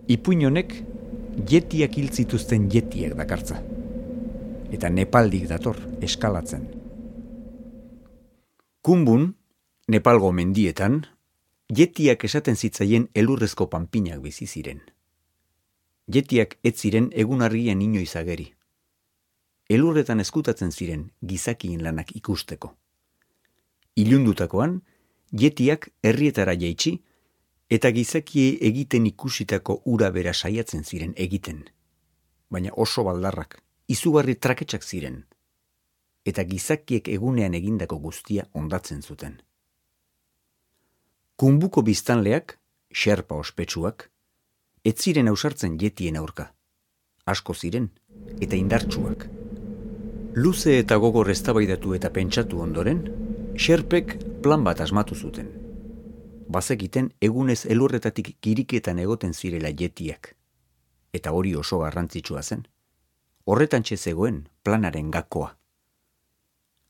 Ipuin honek jetiak hil zituzten jetiak dakartza. Eta Nepaldik dator eskalatzen. Kumbun, Nepalgo mendietan, jetiak esaten zitzaien elurrezko panpinak bizi ziren. Jetiak ez ziren egun argian inoiz ageri. Elurretan eskutatzen ziren gizakien lanak ikusteko. Ilundutakoan, jetiak herrietara jaitsi, eta gizakiei egiten ikusitako ura bera saiatzen ziren egiten. Baina oso baldarrak, izugarri traketsak ziren, eta gizakiek egunean egindako guztia ondatzen zuten. Kumbuko biztanleak, xerpa ospetsuak, ez ziren ausartzen jetien aurka. Asko ziren, eta indartsuak. Luze eta gogor eztabaidatu eta pentsatu ondoren, xerpek plan bat asmatu zuten. Bazekiten egunez elurretatik kiriketan egoten zirela jetiak. Eta hori oso garrantzitsua zen. Horretantxe zegoen planaren gakoa.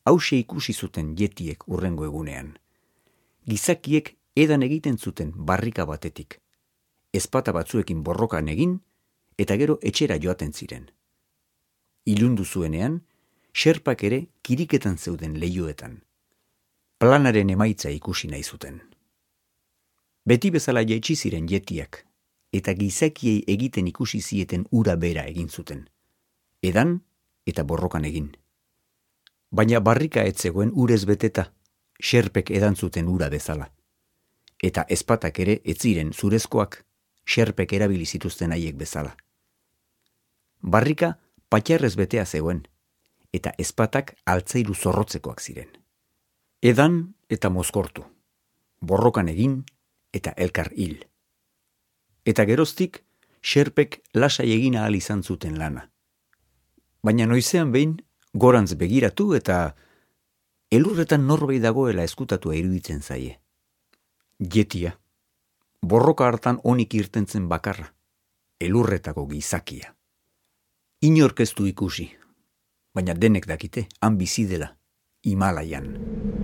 Hauxe ikusi zuten jetiek hurrengo egunean. Gizakiek edan egiten zuten barrika batetik. Ezpata batzuekin borrokan egin, eta gero etxera joaten ziren. Ilundu zuenean, xerpak ere kiriketan zeuden leihoetan. Planaren emaitza ikusi nahi zuten. Beti bezala jaitsi ziren jetiak, eta gizakiei egiten ikusi zieten ura bera egin zuten. Edan eta borrokan egin. Baina barrika ez zegoen urez beteta, xerpek edan zuten ura bezala. Eta ezpatak ere ez ziren zurezkoak, xerpek erabili zituzten haiek bezala. Barrika patxarrez betea zegoen, eta ezpatak altzairu zorrotzekoak ziren. Edan eta mozkortu, borrokan egin eta elkar hil. Eta geroztik, xerpek lasai egin ahal izan zuten lana. Baina noizean behin, gorantz begiratu eta elurretan norbait dagoela eskutatua iruditzen zaie. Jetia, borroka hartan onik irtentzen bakarra, elurretako gizakia. Inork ez du ikusi, baina denek dakite, han bizi dela, Himalaian.